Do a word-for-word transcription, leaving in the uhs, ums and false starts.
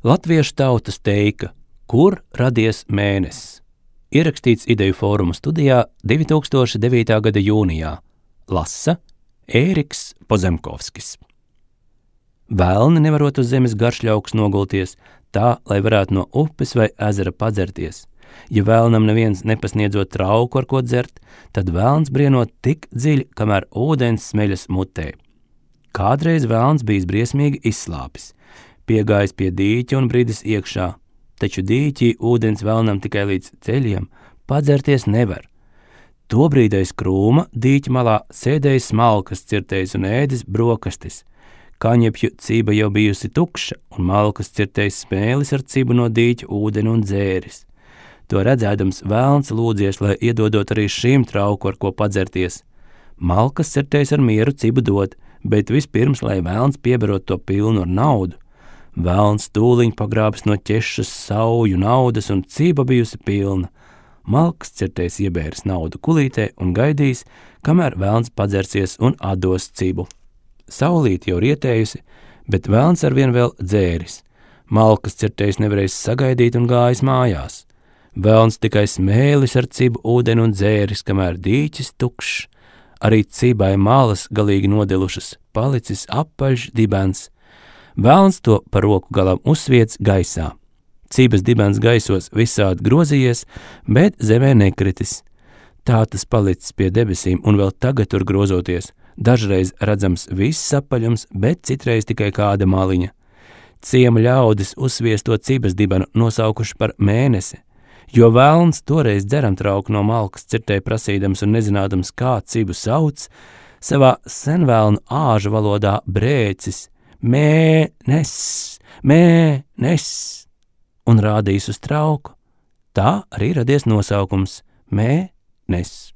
Latviešu tautas teika, kur radies mēnesis. Ierakstīts Ideju fóruma studijā divi tūkstoši devītā gada jūnijā. Lasa Ēriks Pozemkovskis. Velni nevarot uz zemes garšļauks nogulties, tā, lai varētu no upes vai ezera padzerties. Ja velnam neviens nepasniedzot trauku, ar ko dzert, tad velns brienot tik dziļi, kamēr ūdens smeļas mutē. Kādreiz velns bijis briesmīgi izslāpis, piegājis pie dīķa un bridis iekšā, taču dīķī ūdens velnam tikai līdz ceļiem, padzerties nevar. Tobrīd aiz krūma dīķa malā sēdējis smalkas cirtējs un ēdis brokastis. Kaņepju ciba jau bijusi tukša, un malkas cirtējs smēlis ar cibu no dīķa ūdeni un dzēris. To redzēdams velns lūdzies, lai iedodot arī šīm trauku, ar ko padzerties. Malkas cirtējs ar mieru cibu dod, bet vispirms, lai velns pieberot to pilnu ar naudu. Velns tūliņ pagrābis no ķešas sauju naudas, un ciba bijusi pilna. Malkas cirtējs iebēris naudu kulītē un gaidījis, kamēr velns padzersies un atdos cibu. Saulīt jau rietējusi, bet velns arvien vēl dzēris. Malkas cirtējs nevarējis sagaidīt un gājis mājās. Velns tikai smēlis ar cibu ūdeni un dzēris, kamēr dīķis tukšs. Arī cibai malas galīgi nodilušas, palicis apaļš dibens. Velns to par roku galam uzsviec gaisā. Cibas dibens gaisos visādi grozījies, bet zemē nekritis. Tā tas palicis pie debesīm un vēl tagad tur grozoties. Dažreiz redzams viss apaļums, bet citreiz tikai kāda maliņa. Ciema ļaudis uzsviesto cibas dibenu nosaukuši par mēnesi, jo velns toreiz dzeram trauku no malkas cirtē prasīdams un nezinādams, kā cibu sauc, savā senvēlnu āžu valodā brēcis mēnes, mēnes, un rādījis uz trauku. Tā arī radies nosaukums mēnes.